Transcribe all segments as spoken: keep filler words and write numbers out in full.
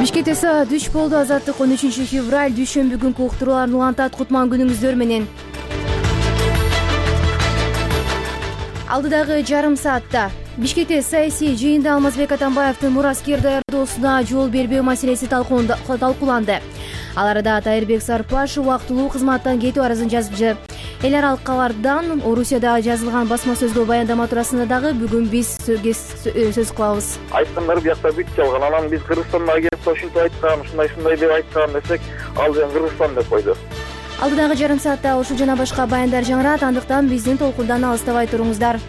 Бишкек ТСА дүч болду. Азаттык он үчүнчү февраль дүйшөмбү күнкү уктурууларды улантат. Кутман күнүңүздөр менен. Алдыдагы жарым саатта Бишкекте саясий жыйында Алмазбек Атамбаевдин мураскер даярдоосуна жол бербөө маселеси талкууланды. Ал арада Тайырбек Сарпашев убактылуу кызматтан кетүү арызын жазып, эл аралык кабардан Орусияда жазылган басма сөзгө баяндама туурасында дагы бүгүн биз сөз кылабыз. Айткандар биякта бүт жалган. Анан биз Кыргызстанда келип ушинтип айткан, ушундай-ушундай деп айткан десек, ал жерден Кыргызстан деп койду. Алдыдагы жарым саатта ушул жана башка баяндар жаңырат, андыктан биздин толкундан алыстабай туруңуздар.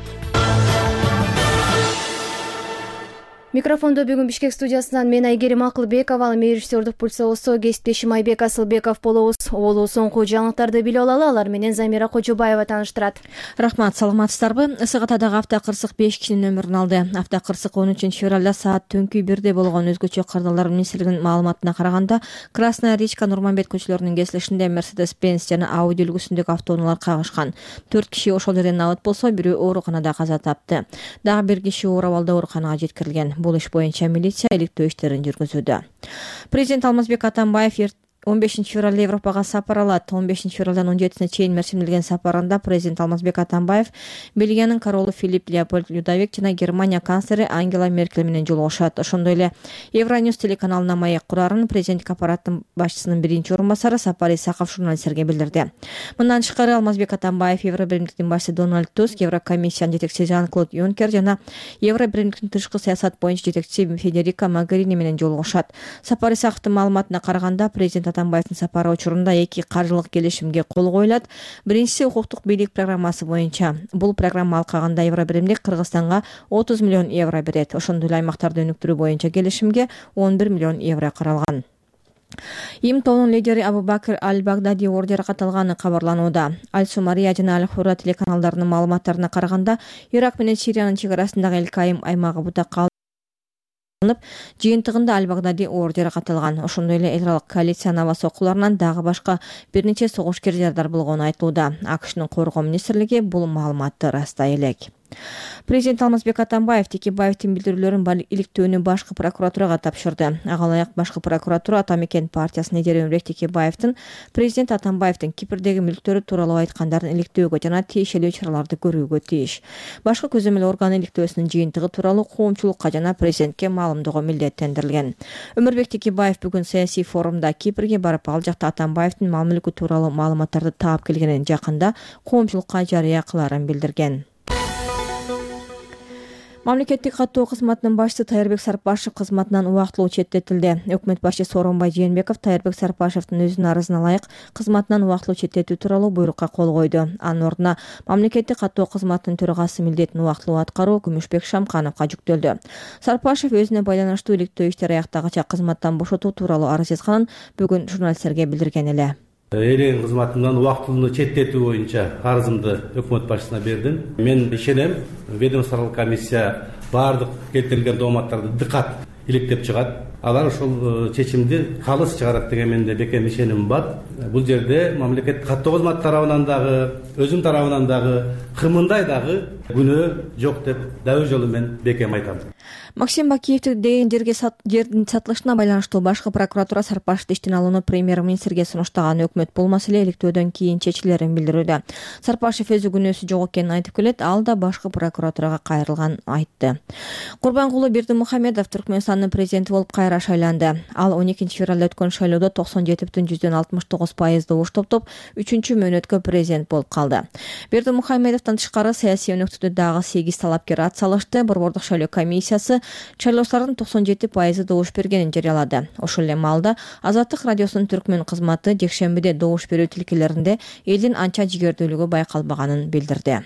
Микрофондо бүгүн Бишкек студиясынан мен Айгерим Акылбекова, ал режиссердук пульсоосу кесиптешим Айбек Асылбеков болобуз. Оболу соңку жаңылыктарды билип алалы, алар менен Замира Кожобаева тааныштырат. Рахмат, саламатсыздарбы? Ысык-Атадагы автокырсык беш кишинин өмүрүн алды. Автокырсык он үчүнчү февралда саат түнкү бирде болгон. Өзгөчө кырдаалдар министрлигинин маалыматына караганда, Красная Речка, Нурманбет көчөлөрүнүн кесилишинде Mercedes-Benz жана Audi үлгүсүндөгү автоунаалар кагышкан. төрт киши ошол жерден абат болсо, бирөө ооруканада каза тапты. Дагы бир киши оор абалда ооруканага жеткирилген. Бул иш боюнча милиция иликтөө иштерин жүргүзүүдө. Президент Алмазбек Атамбаев он бешинчи февралда Европага сапар алат. он бешинчи февралдан он жетисине чейин мерсимделген сапарында президент Алмазбек Атамбаев Бельгиянын королу Филипп Леопольд Людовик жана Германия канцлери Ангела Меркель менен жолугушат. Ошондой эле Евроньюс телеканалына маек курарын президенттик аппараттын башчысынын биринчи орун басары Сапар Исаков журналисттерге билдирди. Мындан тышкары Алмазбек Атамбаев Евробиримдиктин башчысы Дональд Туск, Еврокомиссиянын жетекчиси Жан-Клод Юнкер жана Евробиримдиктин тышкы саясат боюнча жетекчиси Федерика Могерини менен жолугушат. Сапар Исаковдун маалыматына караганда, президент Атамбаевдин сапары учурунда эки каржылык келишимге кол коюлат. Биринчиси укуктук бийлик программасы боюнча. Бул программа алкагында Евробиримдик Кыргызстанга отуз миллион евро берет. Ошондой эле аймактарды өнүктүрүү боюнча келишимге он бир миллион евро каралган. Им тобунун лидери Абу-Бакр Аль-Багдади оор жаракат алганы кабарланууда. Аль-Сумария жана Аль-Хура телеканалдарынын маалыматтарына караганда, Ирак менен Сириянын чек арасындагы Эль-Кайым аймагы бутакка жыйынтыгында Аль-Багдади оор жаракат алган. Ошондой эле эл аралык коалициянын аба соккуларынан дагы башка бир нече согушкер жардар болгону айтылууда. АКШнын коргоо министрлиги бул маалыматты растай элек. Президент Алмазбек Атамбаев Текебаевдин билдирүүлөрүн иликтөөнү башкы прокуратурага тапшырды. Ага ылайык башкы прокуратура Атамекен партиясынын лидери Өмүрбек Текебаевдин президент Атамбаевдин Кипрдеги мүлктөрү тууралуу айткандарын иликтөөгө жана тиешелүү чараларды көрүүгө тийиш. Башкы көзөмөл орган иликтөөсүнүн жыйынтыгы тууралуу коомчулукка жана президентке маалымдоого милдеттендирилген. Өмүрбек Текебаев бүгүн саясий форумда Кипрге барып, ал жакта Атамбаевдин мал мүлкү тууралуу маалыматтарды таап келгенин жакында коомчулукка жарыя кыларын билдирген. Мамлекеттик каттоо кызматынын башчысы Тайырбек Сарпашев кызматынан убактылуу четтетилди. Өкмөт башчысы Сооронбай Жээнбеков Тайырбек Сарпашевдин өзүнүн арызына ылайык кызматынан убактылуу четтетүү тууралуу буйрукка кол койду. Анын ордуна мамлекеттик каттоо кызматынын төрагасы милдетин убактылуу аткаруу Күмүшбек Шамкановго жүктөлдү. Сарпашев өзүнө байланыштуу иликтөө иштери аяктагыча кызматтан бошотуу тууралуу арыз жазганын бүгүн журналисттерге билдирген эле. Элен кызматымдан убактылуу четтетүү боюнча арызымды өкмөт башчысына бердим. Мен ишенем, ведомстволук комиссия баардык келтирилген дооматтарды дыкат иликтеп чыгат. Алар ошол чечимди калыс чыгарат деген менде бекем ишеним бар. Бул жерде мамлекеттик каттоо кызматы тарабынан дагы, өзүм тарабынан дагы кымындай дагы күнөө жок деп дабыл жолу мен бекем айтам. Максим Бакиевдин деген жерге жердин сатылышына байланыштуу башкы прокуратура Сарпашевди иштен алууну премьер-министрге сунуштаган. Өкмөт бул маселе иликтөөдөн кийин чечилерин билдирүүдө. Сарпашев өзү күнөөсү жок экенин айтып келет, ал да башкы прокуратурага кайрылганын айтты. Курбангулы Бердимухамедов Түркмөнстандын президенти болуп кайра шайланды. Ал он экинчи февралда өткөн шайлоодо токсон жети бүтүн жүздөн алтымыш тогуз пайыз добуш топтоп, үчүнчү мөөнөткө президент болуп калды. Бердимухамедовдон тышкары саясий өнөктүдө дагы сегиз талапкер ат салышты. Борбордук шайлоо комиссиясы шайлоочулардын токсон жети пайызы добуш бергенин жарыялады. Ошол эле маалда Азаттык радиосунун түркмөн кызматы жекшембиде добуш берүү тилкелеринде элдин анча жигердүүлүгү байкалбаганын билдирди.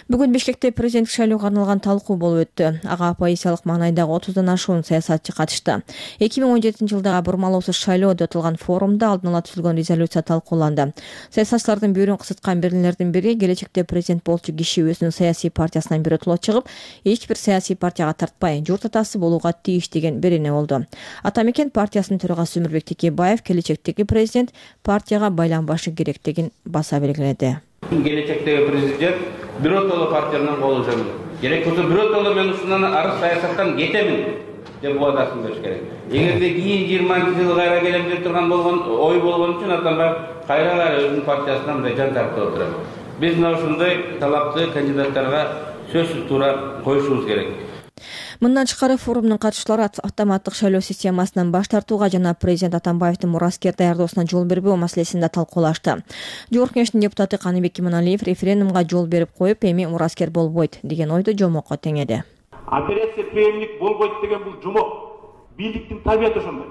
Бүгүн Бишкекте президенттик шайлоого арналган талкуу болуп өттү. Ага оппозициялык маанайдагы отуздан ашуун саясатчы катышты. эки миң он жетинчи жылдагы бурмалоосуз шайлоо деп аталган форумда алдын ала түзүлгөн резолюция талкууланды. Саясатчылардын бүйүрүн кысыткан бирлердин бири келечекте президент болчу киши өзүнүн саясий партиясынан биротоло чыгып, эч бир саясий партияга тартпай, журт атасы болууга тийиш деген берене болду. Атамекен партиясынын төрагасы Өмүрбек Текебаев келечектеги президент партияга байланбашы керектигин баса белгиледи. Келечектеги президент биротоло партиядан колу жөнүндө керек болсо биротоло мен ушундан арыз саясаттан кетемин деп убадасын бериш керек. Эгерде кийин жыйырманчы жылы кайра келем деп турган болгон ой болгон үчүн Атамбаев кайра кайра өзүнүн партиясынан мындай жан тартып отурат. Биз мына ушундай талапты кандидаттарга сөзсүз туура коюшубуз керек. Мындан тышкары форумдун катышуучулары автоматтык шайлоо системасынан баш тартууга жана президент Атамбаевдин мураскер даярдоосуна жол бербөө маселесин да талкуулашты. Жогорку Кеңештин депутаты Каныбек Иманалиев референдумга жол берип коюп, эми мураскер болбойт деген ойду жомокко теңеди. Операция преемник болбойт деген бул жомок. Бийликтин табияты ошондой.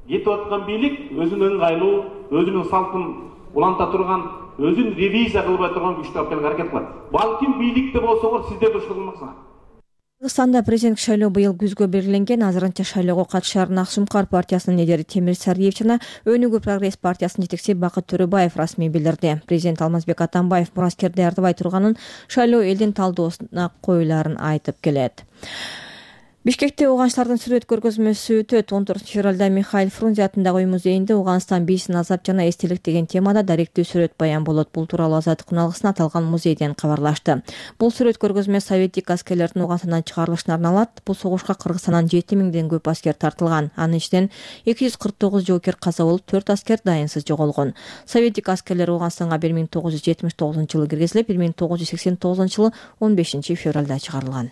Кетип аткан бийлик өзүнүн ыңгайлуу, өзүнүн салтын уланта турган, өзүн ревизия кылбай турган күчтү алып келүүгө аракет кылат. Балким бийликте болсоңор сиздер да ушул кылмаксыңар. Кыргызстанда президенттик шайлоо быйыл күзгө белгиленген. Азырынча шайлоого катышар Ак Сумкар партиясынын лидери Темир Сариев жана Өнүгүү прогресс партиясынын жетекчиси Бакыт Төрөбаев расмий билдирди. Президент Алмазбек Атамбаев мураскер даярдабай турганын шайлоо элдин талдоосуна коюларын айтып келет. Бишкекте ууганчылардын сүрөт көргөзмөсү өтөт. он төртүнчү февралда Михаил Фрунзе атындагы үй музейинде Ууганстан бийсин азап жана эстелик деген темада даректүү сүрөт баян болот. Бул тууралуу Азаттык үналгысына аталган музейден кабарлашты. Бул сүрөт көргөзмө советтик аскерлердин Ууганстандан чыгарылышына арналат. Бул согушка Кыргызстандан жети миңден көп аскер тартылган. Анын ичинен эки жүз кырк тогуз жоокер каза болуп, төрт аскер дайынсыз жоголгон. Советтик аскерлер Ууганстанга бир миң тогуз жүз жетимиш тогузунчу жылы киргизилип, бир миң тогуз жүз сексен тогузунчу жылы он бешинчи февралда чыгарылган.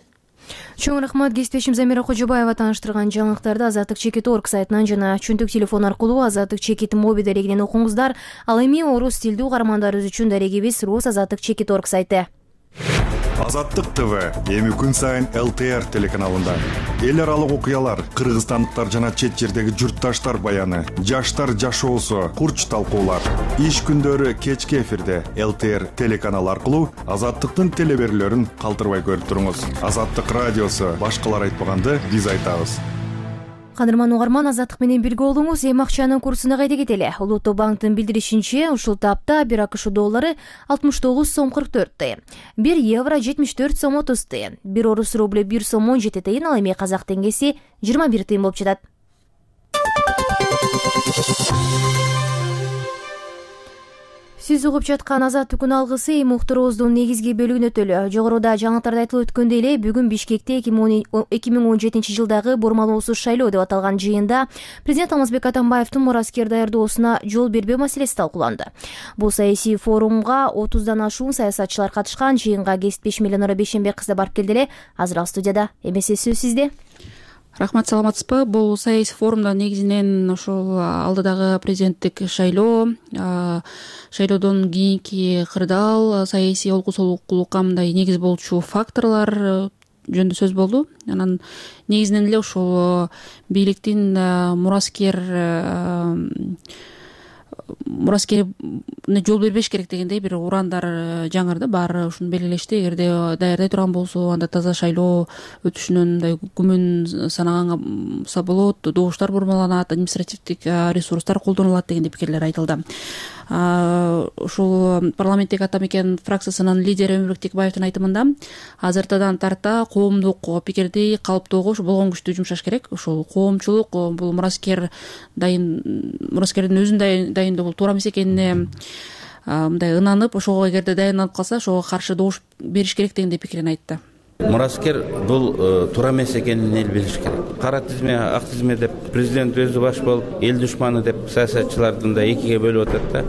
Чоң рахмат. Кесиптешим Замира Кожобаева тааныштырган жаңылыктарды Азаттык чекит точка орг сайтынан жана чүнтүк телефон аркылуу Азаттык чекит моби дарегинен окуңуздар. Ал эми орус тилдүү угармандарыбыз үчүн дарегибиз Рус Азаттык чекит точка орг сайты. Азаттык ТВ эми күн сайын эл тэ эр телеканалында эл аралык окуялар, кыргызстандыктар жана чет жердеги журтташтар баяны, жаштар жашоосу, курч талкуулар. Иш күндөрү кечки эфирде эл тэ эр телеканалы аркылуу Азаттыктын телеберүүлөрүн калтырбай көрүп туруңуз. Азаттык радиосу башкалар айтпаганды биз айтабыз. Кадырман угарман, Азаттык менен бирге болуңуз. Эми акчанын курсуна кайда кетели. Улуттук банктын билдиришинче, ушул тапта бир АКШ доллары алтымыш тогуз сом кырк төрт тыйын, бир евро жетимиш төрт сом отуз тыйын, бир орус рубль бир сом он жети тыйын, ал эми казак теңгеси жыйырма бир тыйын болуп жатат. Сиз угуп жаткан Азаттык үналгысы эми уктуруубуздун негизги бөлүгүнө өтөлү. Жогоруда жаңылыктарда айтылып өткөндөй эле, бүгүн Бишкекте эки миң он жетинчи жылдагы бурмалоосуз шайлоо деп аталган жыйында президент Алмазбек Атамбаевдин мураскер даярдоосуна жол бербөө маселеси талкууланды. Бул саясий форумга отуздан ашуун саясатчылар катышкан. Жыйынга кесиптеш Меленора Бейшенбек кызы барып келди эле. Азыр ал студияда. Эмесе сөз сизде. Рахмат, саламатсызбы? Бул саясий форумда негизинен ошол алдыдагы президенттик шайлоо, шайлоодон кийинки кырдаал, саясий олку солукулукка мындай негиз болчу факторлор жөнүндө сөз болду. Анан негизинен эле ошол бийликтин мураскер мураскерine жол бербеш керек дегендей бир урандар жаңырды. Баары ушуну белгилешти. Эгерде даярдай турган болсо, анда таза шайлоо өтүшүнөн мындай күмөн санаганса болот, добуштар бурмаланат, административдик ресурстар колдонулат дегендей пикирлер айтылды. Ушул парламенттеги ата мекен фракциясынын лидери Өмүрбек Текебаевдин айтымында азыртадан тарта коомдук пикирди калыптоого болгон күчтү жумшаш керек. Ушул коомчулук бул мураскер дайын мураскердин өзүн дайындоо бул туура эмес экенине мындай ынанып, ошого эгерде дайындалып калса, ошого каршы добуш бериш керек дегендей пикирин айтты. Мураскер бул туура эмес экенин эл билиш керек. Кара тизме, ак тизме деп президент өзү баш болуп, эл душманы деп саясатчылардын да экиге бөлүп атат да.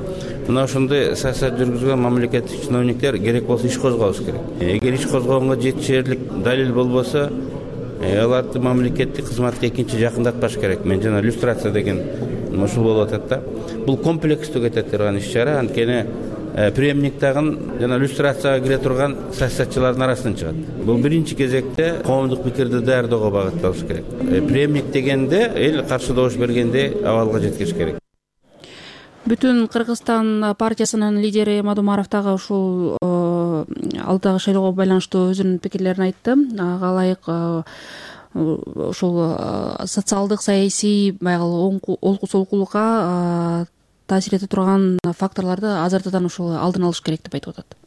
Мына ошондой саясат жүргүзгөн мамлекеттик чиновниктер керек болсо иш козгош керек. Эгер иш козгогонго жетишерлик далил болбосо, аларды мамлекеттик кызматка экинчи жакындатпаш керек. Мен жана люстрация деген ушул болуп атат да. Бул комплекстүү кете турган иш-чара, анткени преемник тагын жана люстрацияга кире турган саясатчылардын арасынан чыгат. Бул биринчи кезекте коомдук пикирди даярдоого багытталыш керек. Преемник дегенде эл каршы добуш бергенде абалга жеткириш керек. Бүтүн Кыргызстан партиясынын лидери Мадумаров дагы ушул алдыдагы шайлоого байланыштуу өзүнүн пикирлерин айтты. Ага ылайык ушул социалдык, саясий баягы олку солукулукка таасир эте турган факторлорду азыртадан ушул алдын алыш керек деп айтып атат.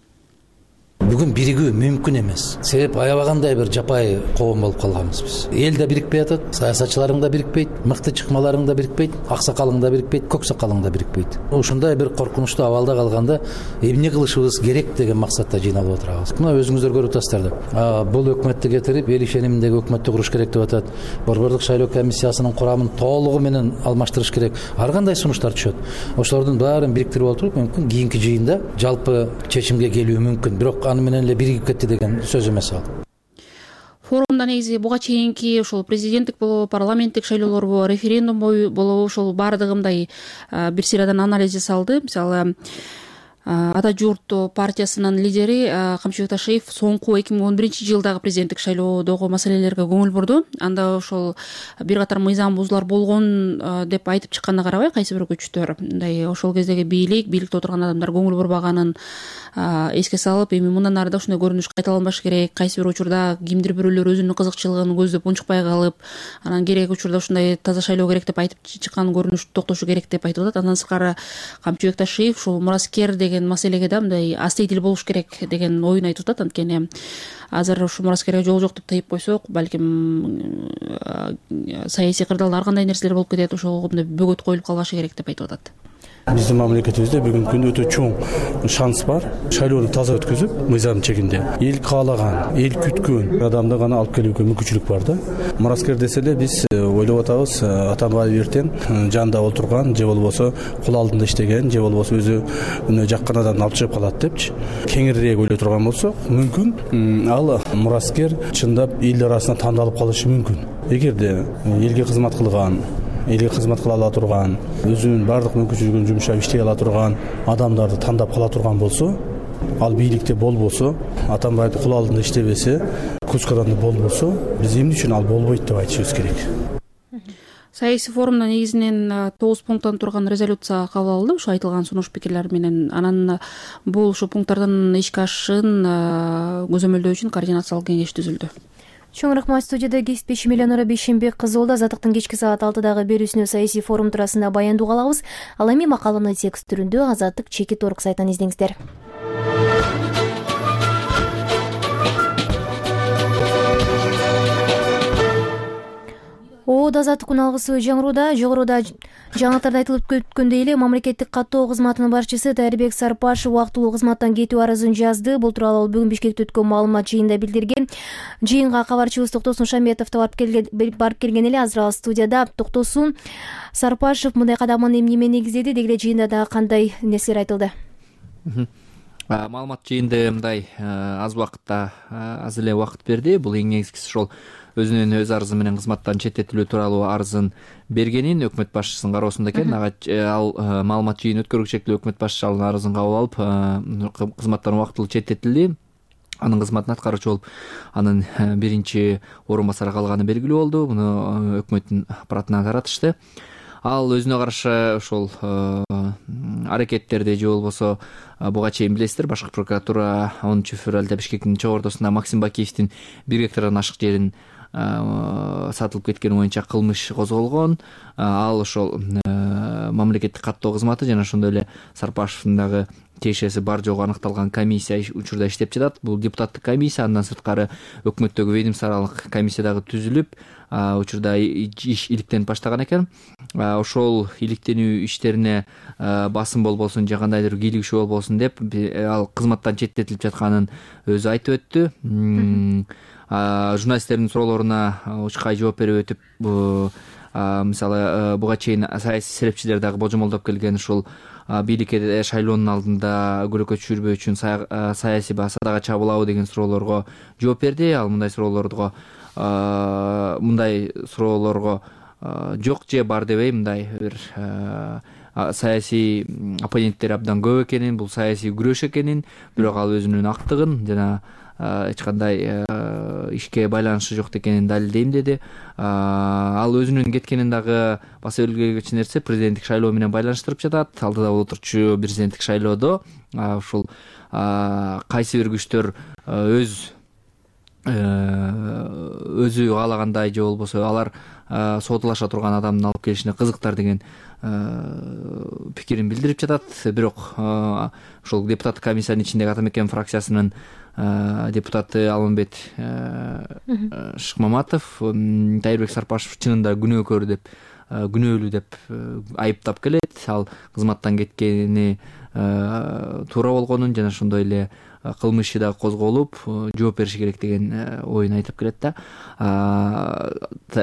бүгүн биригүү мүмкүн эмес. Себеп аябагандай бир жапайы коом болуп калганбыз биз. Эл да бирикпей атат, саясатчыларың да бирикпейт, мыкты чыкмаларың да бирикпейт, аксакалың да бирикпейт, көк сакалың да бирикпейт. Ушундай бир коркунучтуу абалда калганда эмне кылышыбыз керек деген максатта жыйналып отурабыз. Мына өзүңүздөр көрүп атасыздар да. Бул өкмөттү кетирип, эл ишениминдеги өкмөттү куруш керек деп атат. Борбордук шайлоо комиссиясынын курамын толугу менен алмаштырыш керек. Ар кандай сунуштар түшөт. Ошолордун баарын бириктирип отуруп, мүмкүн кийинки жыйында жалпы чечимге келүү мүмкүн. Бирок аны менен эле биригип кетти деген сөз эмес ал. Форумда негизи буга чейинки ошол президенттик болобу, парламенттик шайлоолорбу, референдум болобу, ошол баардыгы мындай бир сыйрадан анализ жасалды. Мисалы, Ата журт партиясынын лидери Камчыбек Ташиев соңку эки миң он биринчи жылдагы президенттик шайлоодогу маселелерге көңүл бурду. Анда ошол бир катар мыйзам бузуулар болгон деп айтып чыкканына карабай, кайсы бир күчтөр мындай ошол кездеги бийлик, бийликте отурган адамдар көңүл бурбаганын эске салып, эми мындан ары да ушундай көрүнүш кайталанбаш керек. Кайсы бир учурда кимдир бирөөлөр өзүнүн кызыкчылыгын көздөп унчукпай калып, анан керек учурда ушундай таза шайлоо керек деп айтып чыккан көрүнүш токтошу керек деп айтып атат. Андан сырткары Камчыбек Ташиев ушул мураскер деген маселеге да мындай астейдил болуш керек деген оюн айтып атат. Анткени азыр ушу мураскерге жол жок деп тыйып койсок, балким саясий кырдаалда ар кандай нерселер болуп кетет, ошого мындай бөгөт коюлуп калбашы керек деп айтып атат. Биздин мамлекетибизде бүгүнкү күндө өтө чоң шанс бар. Шайлоону таза өткөзүп, мыйзам чегинде эл каалаган, эл күткөн адамды гана алып келүүгө мүмкүнчүлүк бар да. Мураскер десе эле биз ойлоп атабыз, Атамбаев эртең жанында отурган, же болбосо кул алдында иштеген, же болбосо өзү үнө жаккан адамды алып чыгып калат депчи. Кеңирээк ойлой турган болсок, мүмкүн ал мураскер чындап эл арасына тандалып калышы мүмкүн. Эгерде элге кызмат кылган, элге кызмат кыла ала турган, өзүнүн баардык мүмкүнчүлүгүн жумшап иштей ала турган адамдарды тандап кала турган болсо, ал бийликте болбосо, Атамбаевдин кул алдында иштебесе, Кускаданда болбосо, биз эмне үчүн ал болбойт деп айтышыбыз керек. Саясий форумда негизинен тогуз пункттан турган резолюция кабыл алынды, ушу айтылган сунуш пикирлер менен. Анан бул ушу пункттардын ишке ашышын көзөмөлдөө үчүн координациялык кеңеш түзүлдү. Чоң рахмат. Студияда кесиптешим Эленора Бейшенбек кызы болду. Азаттыктын кечки саат алтыдагы берүүсүнө саясий форум туурасында баяндоо алабыз. Ал эми макаламдын текст түрүндө Азаттык чекит орг сайтынан издеңиздер. Оода Азаттык күн алгысы жаңырууда. Жогоруда жаңылыктарда айтылып өткөндөй эле мамлекеттик каттоо кызматынын башчысы Тайырбек Сарпашев убактылуу кызматтан кетүү арызын жазды. Бул тууралуу ал бүгүн Бишкекте өткөн маалымат жыйынында билдирген. Жыйынга кабарчыбыз Токтосун Шаметов да барып келген эле. Азыр ал студияда. Токтосун, Сарпашев мындай кадамын эмне негиздеди, деги эле жыйында дагы кандай нерселер айтылды? Маалымат жыйында мындай аз убакытта аз эле убакыт берди. Бул эң негизгиси ошол өзүнүн өз арызы менен кызматтан четтетилүү тууралуу арызын бергенин өкмөт башчысынын кароосунда экен. Ал маалымат жыйын өткөргүлү шектүү өкмөт башчысы ал арызын кабыл алып, кызматтан убактылуу четтетилди. Анын кызматын аткаруучу болуп, анын биринчи орун басары калганы белгилүү болду. Муну өкмөттүн аппаратына таратышты. Ал өзүнө каршы ошол аракеттерди же болбосо буга чейин билесиздер, башкы прокуратура онунчу февралда Бишкектин чогордосунда Максим Бакиевдин бир гектардан ашык жерин сатылып кеткени боюнча кылмыш козголгон. Ал ошол мамлекеттик каттоо кызматы жана ошондой эле Сарпашевдин дагы тиешеси бар жогу аныкталган комиссия учурда иштеп жатат. Бул депутаттык комиссия, андан сырткары өкмөттөгү ведомстволук комиссия дагы түзүлүп, учурда иш иликтенип баштаган экен. Ошол иликтенүү иштерине басым болбосун же кандайдыр кийлигишүү болбосун деп ал кызматтан четтетилип жатканын өзү айтып өттү. Журналисттердин суроолоруна учкай жооп берип өтүп, мисалы буга чейин саясий серепчилер дагы божомолдоп келген ушул бийликке шайлоонун алдында көрөкө түшүрбөө үчүн саясий садага чабылабы деген суроолорго жооп берди. Ал мындай суроолорго мындай суроолорго жок же бар дебей, мындай бир саясий оппоненттери абдан көп экенин, бул саясий күрөш экенин, бирок ал өзүнүн актыгын жана эч кандай ишке байланышы жок экенин далилдейм деди. Ал өзүнүн кеткенин дагы баса белгилегич нерсе президенттик шайлоо менен байланыштырып жатат. Алдыда болуп отурчу президенттик шайлоодо ушул кайсы бир күчтөр өз өзү каалагандай же болбосо алар соодалаша турган адамдын алып келишине кызыктар деген пикирин билдирип жатат. Бирок ошол депутаттык комиссиянын ичиндеги Ата Мекен фракциясынын депутаты Алмамбет Шыкмаматов Тайырбек Сарпашев чынында күнөөкөр деп күнөөлүү деп айыптап келет. Ал кызматтан кеткени туура болгонун жана ошондой эле кылмыш да козголуп жооп бериши керек деген оюн айтып келет да.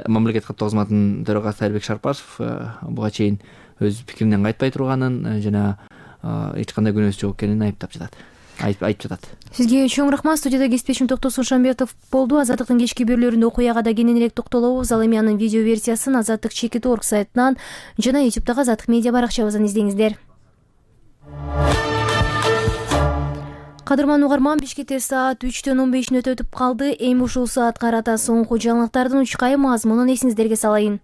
Мамлекеттик каттоо кызматынын төрагасы Тайырбек Сарпашев буга чейин өз пикиринен кайтпай турганын жана эч кандай күнөөсү жок экенин айыптап жатат. Айтып жатат. Сизге чоң рахмат. Студияда кесиптешим Токтосун Шамбетов болду. Азаттыктын кечки берүүлөрүндө окуяга да кененирээк токтолобуз. Ал эми анын видео версиясын азаттык чекит точка орг сайтынан жана ютубтагы Азаттык медиа баракчабыздан издеңиздер. Кадырман угарман, Бишкекте саат үчтөн он беш мүнөт өтүп калды. Эми ушул саат карата соңку жаңылыктардын учкай мазмунун эсиңиздерге салайын.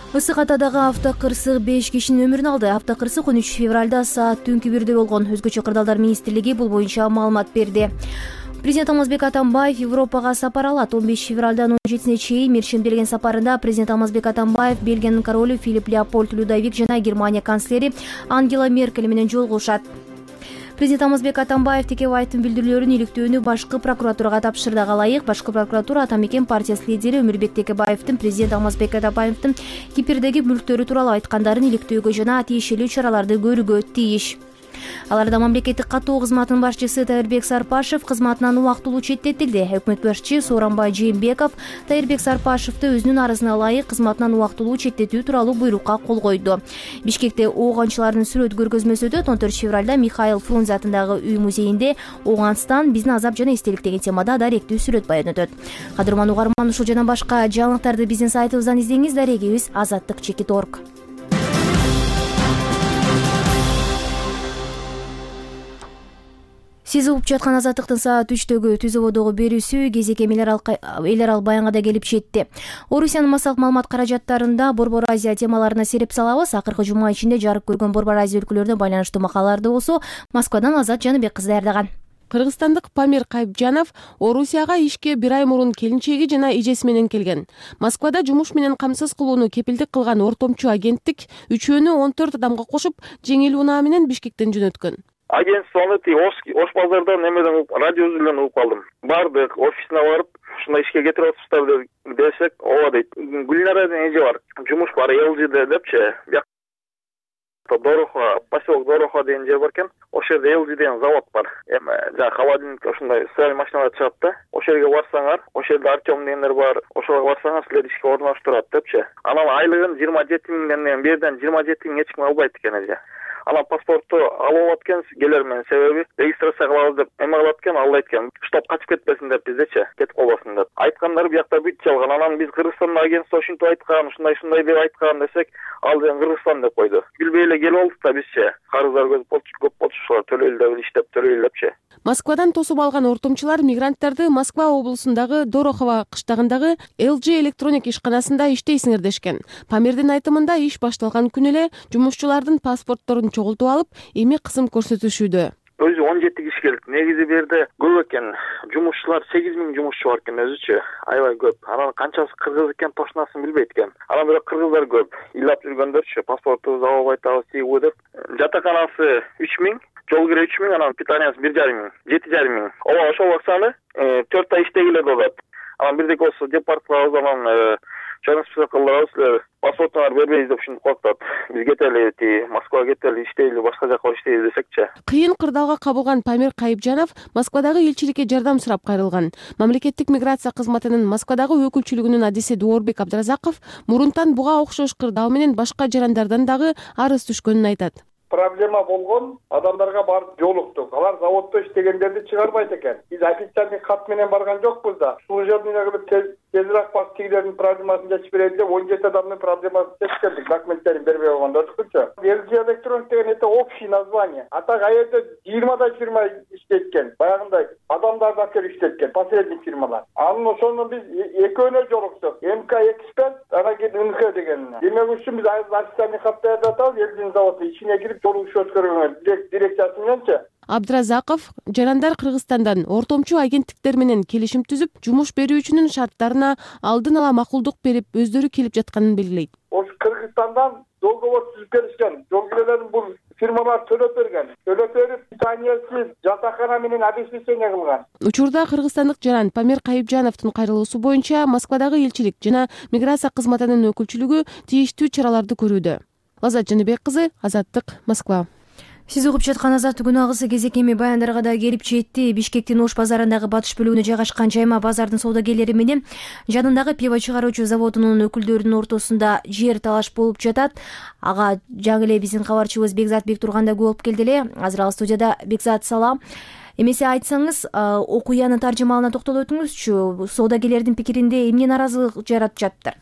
Ысык Атадагы автокырсык беш кишинин өмүрүн алды. Автокырсык он үч февралда саат түнкү бирде болгон. Өзгөчө кырдаалдар министрлиги бул боюнча маалымат берди. Президент Алмазбек Атамбаев Европага сапар алат. он беш февралдан он жетисине чейин мерчемделген сапарында президент Алмазбек Атамбаев Бельгиянын королу Филипп Леопольд Людовик жана Германия канцлери Ангела Меркель менен жолугушат. Президент Алмазбек Атамбаев Текебаевдин билдирүүлөрүн иликтөөнү башкы прокуратурага тапшырды. Ага ылайык башкы прокуратура Ата Мекен партиясы лидери Өмүрбек Текебаевдин президент Алмазбек Атамбаевдин Кипрдеги мүлктөрү тууралуу айткандарын иликтөөгө жана тиешелүү чараларды көрүүгө тийиш. Аларда мамлекеттик каттоо кызматынын башчысы Тайырбек Сарпашев кызматынан убактылуу четтетилди. Өкмөт башчы Сооронбай Жээнбеков Тайырбек Сарпашевди өзүнүн арызына ылайык кызматынан убактылуу четтетүү тууралуу буйрукка кол койду. Бишкекте ок анчылардын сүрөт көргөзмөсү өтөт. он төртүнчү февралда Михаил Фрунзе атындагы үй музейинде Ооганстан биздин азап жана эстелик деген темада даректүү сүрөт баян өтөт. Кадырман угарман, ушул жана башка жаңылыктарды биздин сайтыбыздан издеңиз. Дарегибиз азаттык чекит точка орг. Сиз угуп жаткан Азаттыктын саат үчтөгү түз ободогу берүүсү кезек эми эл арал баянга да келип жетти. Орусиянын массалык маалымат каражаттарында Борбор Азия темаларына сереп салабыз. Акыркы жума ичинде жарык көргөн Борбор Азия өлкөлөрүнө байланыштуу макалаларды болсо Москвадан Азат Жаныбек кызы даярдаган. Кыргызстандык Памир Кайыпжанов Орусияга ишке бир ай мурун келинчеги жана эжеси менен келген. Москвада жумуш менен камсыз кылууну кепилдик кылган ортомчу агенттик үчөөнү он төрт адамга кошуп жеңил унаа менен Бишкектен жөнөткөн. Агентствону Ош базардан немеден радио үзүлгөн угуп калдым. Бардык, офисине барып, ушундай ишке кетирип атышпыздар десек, ооба дейт. Гүлнарадын эже бар, жумуш бар эл жиде депчи. Биякта Дорохо, поселок Дорохо деген жер бар экен. Ошол жерде эл жи деген завод бар. Эми жана холодильник ошондой стиральный машиналар чыгат да. Ошол жерге барсаңар, ошол жерде Артем дегендер бар. Ошого барсаңар силер ишке орноштурат депчи. Анан айлыгын жыйырма жети миңден берден жыйырма жети миң эч ким албайт экен эже. Анан паспортту алып алат экен, келер менен себеби регистрация кылабыз деп эме кылат экен, ал айткан, штаб качып кетпесин деп биздечи, кетип калбасын деп. Айткандары биякта бүт жалган. Анан биз Кыргызстандын агентство ушинтип айткан, ушундай-ушундай деп айткан десек, ал деген Кыргызстан деп койду. Билбей эле келип алдык да бизчи. Карыздар көп болчу, ушулар төлөйлү деп иштеп төлөйлү депчи. Москвадан тосуп алган ортомчулар мигранттарды Москва облусундагы Дорохово кыштагындагы эл жи электроник ишканасында иштейсиңер дешкен. Памирдин айтымында иш башталган күнү эле жумушчулардын паспортторун чогултуп алып, эми кысым көрсөтүшүүдө. Өзү он жети киши келди. Негизи бу жерде көп экен. Жумушчулар сегиз миң жумушчу бар экен өзүчү. Аябай көп. Анан канчасы кыргыз экен тошунасын билбейт экен. Анан бирок кыргыздар көп. Ыйлап жүргөндөрчү, паспортубузду алып айтабыз, тийгүү деп. Жатаканасы үч миң, жол кире үч миң, анан питаниясы бир жарым миң, жети жарым миң. Ооба ошол акчаны төрт ай иштегиле болот. Анан бирдеки болсо деп барып анан чоң список кылдырабыз, силер паспортуңарды бербейбиз деп ушинтип коюптат. Биз кетели, ти Москвага кетели, иштейли, башка жака иштейли десекчи. Кыйын кырдаалга кабылган Памир Кайыпжанов Москвадагы элчиликке жардам сурап кайрылган. Мамлекеттик миграция кызматынын Москвадагы өкүлчүлүгүнүн адиси Дуорбек Абдыразаков мурунтан буга окшош кырдаал менен башка жарандардан дагы арыз түшкөнүн айтат. Проблема болгон адамдарга барып жолуктук. Алар заводдо иштегендерди чыгарбайт экен. Биз официальный кат менен барган жокпуз да. Служебныйга кылып тезирээк барып тигилердин проблемасын чечип берели деп он жети адамдын проблемасын чечип келдик. Документтерин бербей койгондордукчу. эл жи электроник деген это общий название. А так аерде жыйырмадай фирма иштейт экен. Баягындай адамдарды алып келип иштейт экен, посредник фирмалар. Анын ошону биз экөөнө жолуктук. эм ка эксперт, анан кийин эн ка деген. Демек үчүн биз официальный кат даярдап атабыз, эл жи заводу ичине кирип жолугуш өткөргөнгө дирекциясы мененчи. Абдыразаков жарандар Кыргызстандан ортомчу агенттиктер менен келишим түзүп, жумуш берүүчүнүн шарттарына алдын ала макулдук берип, өздөрү келип жатканын белгилейт. Ошо Кыргызстандан договор түзүп беришкен. Жол бул фирмалар төлөп берген. Төлөп берип, питаниесиз жатакана менен обеспечение кылган. Учурда кыргызстандык жаран Памир Кайыпжановдун кайрылуусу боюнча Москвадагы элчилик жана миграция кызматынын өкүлчүлүгү тийиштүү чараларды көрүүдө. Лазат Жаныбек кызы, Азаттык, Москва. Сиз угуп жаткан Азаттык күн агысы кезек эми баяндарга да келип жетти. Бишкектин Ош базарындагы батыш бөлүгүнө жайгашкан жайма базардын соодагерлери менен жанындагы пиво чыгаруучу заводунун өкүлдөрүнүн ортосунда жер талаш болуп жатат. Ага жаңы эле биздин кабарчыбыз Бекзат Бектурган да күбө болуп келди эле. Азыр ал студияда. Бекзат, салам. Эмесе айтсаңыз, окуянын таржымалына токтолуп өтүңүзчү. Соодагерлердин пикиринде эмне наразылык жаратып жатыптыр?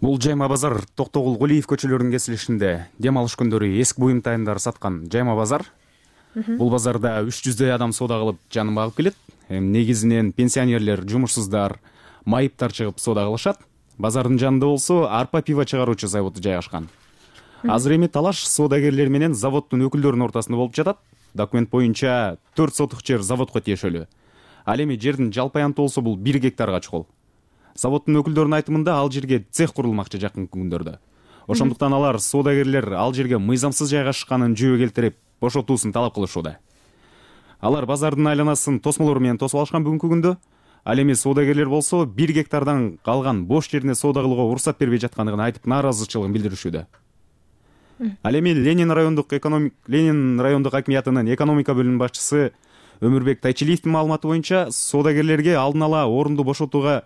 Бул жайма базар Токтогул, Кулиев көчөлөрүнүн кесилишинде дем алыш күндөрү эски буюмтайымдар саткан жайма базар. Бул базарда үч жүздөй адам соода кылып жанын багып келет. Негизинен пенсионерлер, жумушсуздар, майыптар чыгып соода кылышат. Базардын жанында болсо арпа пиво чыгаруучу заводу жайгашкан. Азыр эми талаш соодагерлер менен заводдун өкүлдөрүнүн ортосунда болуп жатат. Документ боюнча төрт сотук жер заводко тиешелүү. Ал эми жердин жалпы аянты болсо бул бир гектарга чукул. Заводдун өкүлдөрүнүн айтымында ал жерге цех курулмакчы жакын күндөрдө. Ошондуктан алар соодагерлер ал жерге мыйзамсыз жайгашканын жүйө келтирип, бошотуусун талап кылышууда. Алар базардын айланасын тосмолор менен тосуп алышкан бүгүнкү күндө. Ал эми соодагерлер болсо бир гектардан калган бош жерине соода кылууга уруксат бербей жаткандыгын айтып, нааразычылыгын билдиришүүдө. Ал эми Ленин райондук экономик Ленин райондук акимиятынын экономика бөлүмүнүн башчысы Өмүрбек Тайчилиевдин маалыматы боюнча соодагерлерге алдын ала орунду бошотууга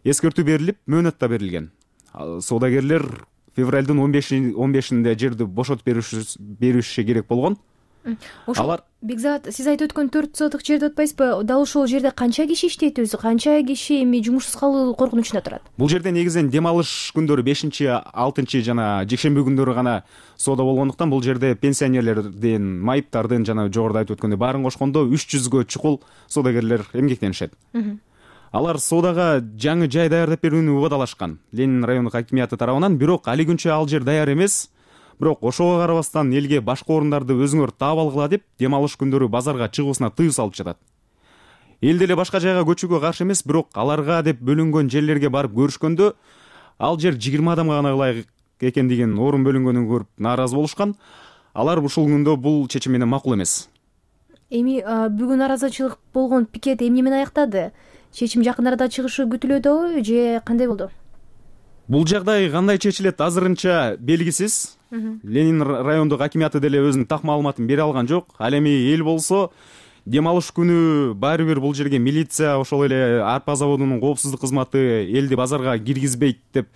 эскертүү берилип, мөөнөт да берилген. Соодагерлер февралдын он бешинде жерди бошотуп бериши керек болгон. Алар Бекзат, сиз айтып өткөн төрт сотук жерди атпайсызбы? Дал ошол жерде канча киши иштейт өзү? Канча киши эми жумушсуз калуу коркунучунда турат? Бул жерде негизинен дем алыш күндөрү бешинчи, алтынчы жана жекшемби күндөрү гана соода болгондуктан бул жерде пенсионерлердин, майыптардын жана жогоруда айтып өткөндөй баарын кошкондо үч жүзгө чукул соодагерлер эмгектенишет. Алар соодага жаңы жай даярдап берүүнү убадалашкан Ленин райондук акимияты тарабынан, бирок али күнчө ал жер даяр эмес. Бирок ошого карабастан элге башка орундарды өзүңөр таап алгыла деп дем алыш күндөрү базарга чыгуусуна тыюу салып жатат. Эл деле башка жайга көчүүгө каршы эмес, бирок аларга деп бөлүнгөн жерлерге барып көрүшкөндө ал жер жыйырма адамга гана ылайык экендигин, орун бөлүнгөнүн көрүп нааразы болушкан. Алар ушул күндө бул чечим менен макул эмес. Эми бүгүн нааразычылык болгон пикет эмне менен аяктады? Чечим жакын арада чыгышы күтүлөдүбү же кандай болду? Бул жагдай кандай чечилет азырынча белгисиз. Ленин райондук акимияты деле өзүнүн так маалыматын бере алган жок. Ал эми эл болсо дем алыш күнү баары бир бул жерге милиция, ошол эле арпа заводунун коопсуздук кызматы элди базарга киргизбейт деп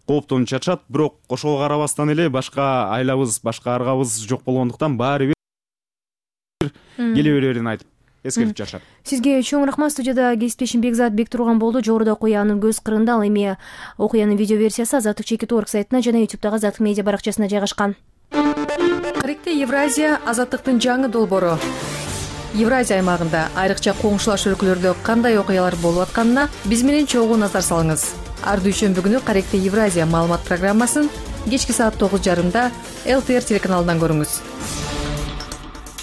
кооптонуп жатышат. Бирок ошого карабастан эле башка айлабыз, башка аргабыз жок болгондуктан баары бир келе берерин айтып эскертип жатышат. Сизге чоң рахмат. Студияда кесиптешим Бекзат Бектурган болду. Жогоруда окуянын көз кырында. Ал эми окуянын видео версиясы Азаттык чекит точка орг сайтына жана ютубтагы Азаттык медиа баракчасына жайгашкан. Каректе Евразия Азаттыктын жаңы долбоору. Евразия аймагында айрыкча коңшулаш өлкөлөрдө кандай окуялар болуп атканына биз менен чогуу назар салыңыз. Ар дүйшөмбү күнү Каректе Евразия маалымат программасын кечки саат тогуз жарымда эл тэ эр телеканалынан көрүңүз.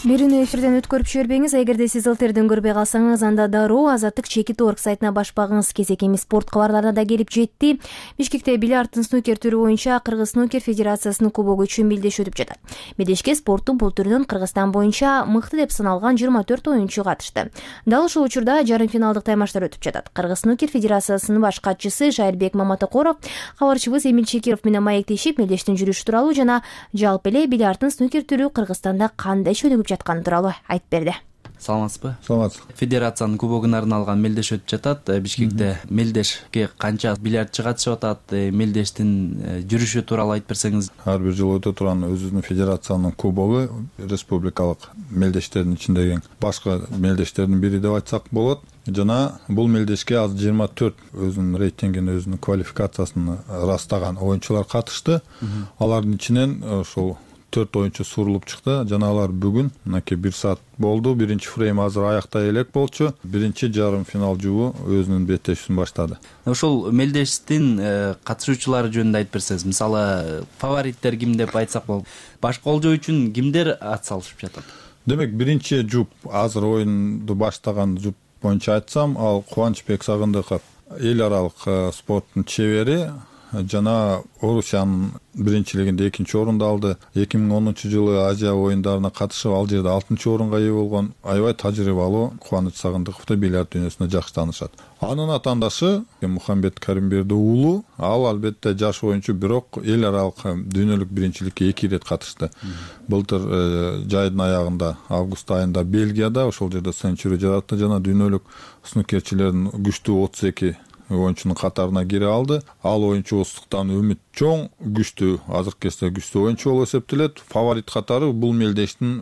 Берүүнү эфирден өткөрүп жибербеңиз. Эгерде сиз эл тэ эрден көрбөй калсаңыз, анда дароо Азаттык чекит точка орг сайтына баш багыңыз. Кезек эми спорт кабарларына да келип жетти. Бишкекте бильярдтын снукер түрү боюнча Кыргыз снукер федерациясынын кубогу үчүн мелдеш өтүп жатат. Мелдешке спорттун бул түрүнөн Кыргызстан боюнча мыкты деп саналган жыйырма төрт оюнчу катышты. Дал ушул учурда жарым финалдык таймаштар өтүп жатат. Кыргыз снукер федерациясынын баш катчысы Жайылбек Маматокоров кабарчыбыз Эмил Чекиров менен маектешип мелдештин жүрүшү тууралуу жана жалпы эле бильярдтын снукер түрү Кыргызстанда кандай чөнүгүп жатканы тууралуу айтып берди. Саламатсызбы? Саламатсыз. Федерациянын кубогуна арналган мелдеш өтүп жатат. Бишкекте мелдешке канча бильярдчы катышып атат? Мелдештин жүрүшү тууралуу айтып берсеңиз. Ар бир жыл өтө турган өзүбүздүн федерациянын кубогу республикалык мелдештердин ичиндеги башкы мелдештердин бири деп айтсак болот. Жана бул мелдешке азыр жыйырма төрт өзүнүн рейтингин, өзүнүн квалификациясын ырастаган оюнчулар катышты. Алардын ичинен ушул төрт оюнчу сурулуп чыкты жана алар бүгүн мынакей бир саат болду. Биринчи фрейм азыр аяктай элек болчу. Биринчи жарым финал жубу өзүнүн беттешүүсүн баштады. Ошол мелдештин катышуучулары жөнүндө айтып берсеңиз, мисалы фавориттер ким деп айтсак болот, баш колжоо үчүн кимдер ат салышып жатат? Демек биринчи жуп азыр оюнду баштаган жуп боюнча айтсам, ал Кубанычбек Сагындыков, эл аралык спорттун чебери жана Орусиянын биринчилигинде экинчи орунду алды. эки миң онунчу жылы Азия оюндарына катышып ал жерде алтынчы орунга ээ болгон аябай тажрыйбалуу Кубаныч Сагындыковду бильярд дүйнөсүндө жакшы таанышат. Анын атаандашы Мухаммед Каримберди уулу, ал албетте жаш оюнчу, бирок эл аралык дүйнөлүк биринчиликке эки ирет катышты. Былтыр жайдын аягында август айында Бельгияда ошол жерде сенчури жаратты жана дүйнөлүк снукерчилердин күчтүү отуз эки оюнчунун катарына кире алды. Ал оюнчубуздуктан үмүт чоң, күчтүү, азыркы кезде күчтүү оюнчу болуп эсептелет. Фаворит катары бул мелдештин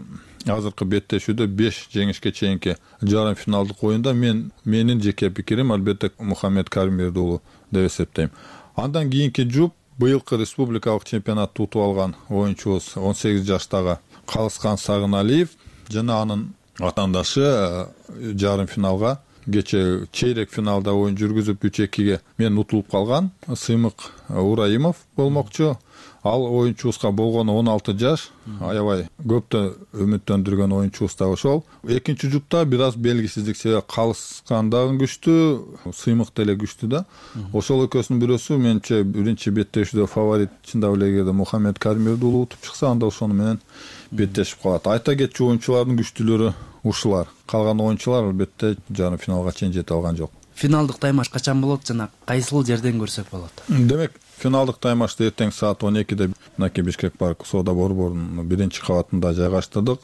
азыркы беттешүүдө беш жеңишке чейинки жарым финалдык оюнда мен менин жеке пикирим албетте Мухаммед Каримберди уулу деп эсептейм. Андан кийинки жуп быйылкы республикалык чемпионатты утуп алган оюнчубуз он сегиз жаштагы Калыскан Сагыналиев жана анын атаандашы жарым финалга, кече чейрек финалда оюн жүргүзүп үч экиге мен утулуп калган Сыймык Ураимов болмокчу. Ал оюнчубузга болгону он алты жаш, аябай көптө үмүттөндүргөн оюнчубуз да ошол. Экинчи жупта бир аз белгисиздик, себеби Калыскан дагы күчтүү, Сыймык деле күчтүү да. Ошол экөөсүнүн бирөөсү менимче биринчи беттешүүдө фаворит чындап эле эгерде Мухаммед Каримберди уулу утуп чыкса, анда ошону менен беттешип калат. Айта кетчү оюнчулардын күчтүүлөрү ушулар. Калган оюнчулар албетте жарым финалга чейин жете алган жок. Финалдык таймаш качан болот жана кайсыл жерден көрсөк болот? Демек, финалдык таймашты эртең саат он экиде мынакей Бишкек парк соода борборунун биринчи кабатында жайгаштырдык.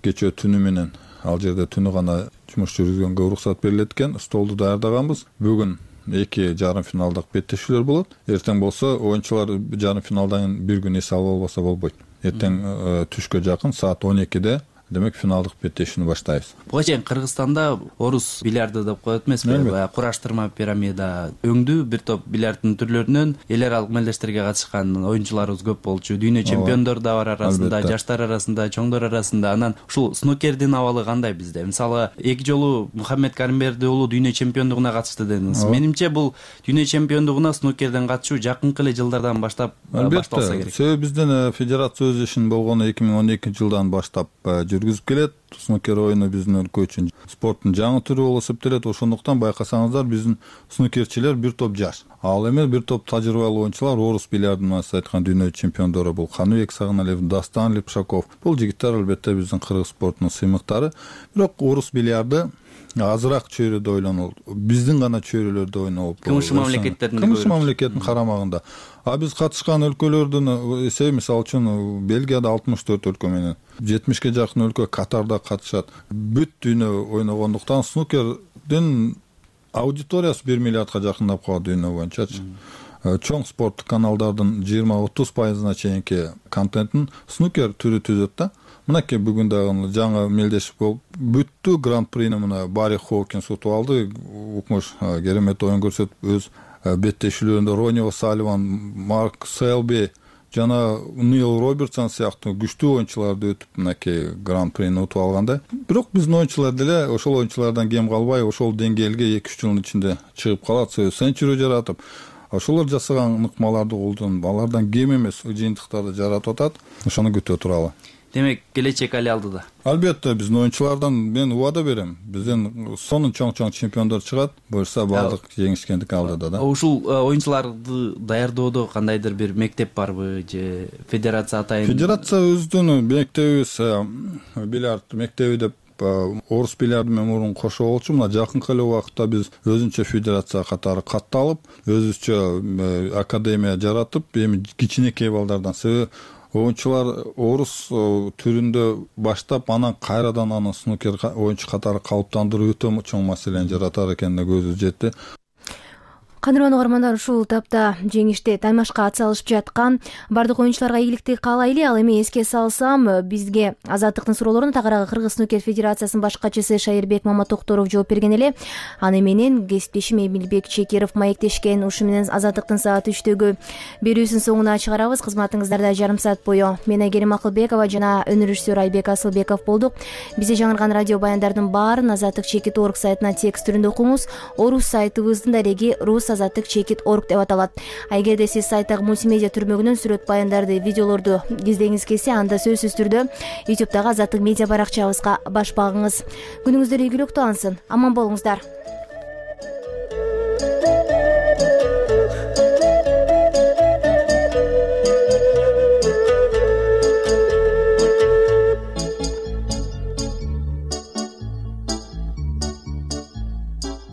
Кечээ түнү менен ал жерде түнү гана жумуш жүргүзгөнгө уруксат берилет экен. Столду даярдаганбыз. Бүгүн эки жарым финалдык беттешүүлөр болот. Эртең болсо оюнчулар жарым финалдан бир күн эс алып болбосо болбойт. Эртең түшкө жакын саат он экиде демек финалдык беттешүүнү баштайбыз. Буга чейин Кыргызстанда орус бильярды деп коет эмеспи? Баягы кураштырма пирамида өңдүү бир топ бильярддын түрлөрүнөн эл аралык мелдештерге катышкан оюнчуларыбыз көп болчу. Дүйнө чемпиондор да бар арасында, жаштар арасында, чоңдор арасында. Анан ушул снукердин абалы кандай бизде? Мисалы, эки жолу Мухаммед Каримберди уулу дүйнө чемпиондугуна катышты дедиңиз. Менимче бул дүйнө чемпиондугуна снукерден катышуу жакынкы эле жылдардан баштап башталса керек. Себеби биздин федерация өз ишин болгону эки миң он экинчи жылдан баштап жүргүзүп келет. Снукер оюну биздин өлкө үчүн спорттун жаңы түрү болуп эсептелет. Ошондуктан байкасаңыздар биздин снукерчилер бир топ жаш, ал эми бир топ тажрыйбалуу оюнчулар, орус бильярдынан айткан дүйнө чемпиондору бул Каныбек Сагыналиев, Дастан Липшаков. Бул жигиттер албетте биздин кыргыз спортунун сыймыктары. Бирок орус бильярды азыраак чөйрөдө ойлонолот. Биздин гана чөйрөлөрдө ойнолот. Кымшы мамлекеттердин кымшы мамлекеттин карамагында. А биз катышкан өлкөлөрдүн эсеби, мисалы үчүн Бельгияда алтымыш төрт өлкө менен жетимишке жакын өлкө Катарда катышат. Бүт дүйнө ойногондуктан снукердин аудиториясы бир миллиардка жакындап калат дүйнө боюнчачы. Чоң спорттук каналдардын жыйырма отуз пайызына чейинки контентин снукер түрү түзөт да. Мынакей бүгүн дагы жаңы мелдеш болуп бүттү гран-прини мына Барри Хоукинс утуп алды. Укмуш керемет оюн көрсөтүп өз беттешүүлөрүндө Рони О'Салливан, Марк Селби жана Нил Робертсон сыяктуу күчтүү оюнчуларды өтүп мынакей гран-прини утуп алганда. Бирок биздин оюнчулар деле ошол оюнчулардан кем калбай ошол деңгээлге эки үч жылдын ичинде чыгып калат. Сенчури жаратып ошолор жасаган ыкмаларды колдонуп алардан кем эмес жыйынтыктарды жаратып атат. Ошону күтө туралы. Демек, келечек али алдыда. Албетте биздин оюнчулардан мен убада берем. Бизден сонун чоң-чоң чемпиондор чыгат. Буюрса баардык жеңишкендик алдыда да. Ушул оюнчуларды даярдоодо кандайдыр бир мектеп барбы же федерация атайын? Федерация өздүнүн мектебибиз бильярд мектеби деп орус бильярды менен мурун кошо болчу. Мына жакынкы эле убакытта биз өзүнчө федерация катары катталып, өзүбүзчө академия жаратып, эми кичинекей балдардан себеби оюнчулар орус түрүндө баштап, анан кайрадан аны снукер оюнчу катары калыптандыруу өтө чоң маселени жаратар экенине көзүбүз жетти. кадырлуу угармандар, ушул тапта жеңиште таймашка ат салышып жаткан бардык оюнчуларга ийгиликти каалайлы. Ал эми эске салсам, бизге Азаттыктын суроолоруна тагыраагы Кыргыз снукер федерациясынын баш катчысы Шайырбек Маматокторов жооп берген эле. Аны менен кесиптешим Эмилбек Чекеров маектешкен. Ушу менен Азаттыктын саат үчтөгү берүүсүн соңуна чыгарабыз. Кызматыңыздарда жарым саат бою мен Айгерим Акылбекова жана өнөр режиссеру Айбек Асылбеков болдук. Бизде жаңырган радио баяндардын баарын азаттык чекит орг сайтына текст түрүндө окуңуз. Орус сайтыбыздын дареги рус азаттык чекит орг деп аталат. А эгерде сиз сайттагы мультимедиа түрмөгүнөн сүрөт баяндарды, видеолорду издегиңиз келсе, анда сөзсүз түрдө ютубтагы Азаттык медиа баракчабызга баш багыңыз. Күнүңүздөр ийгиликтүү алынсын. Аман болуңуздар.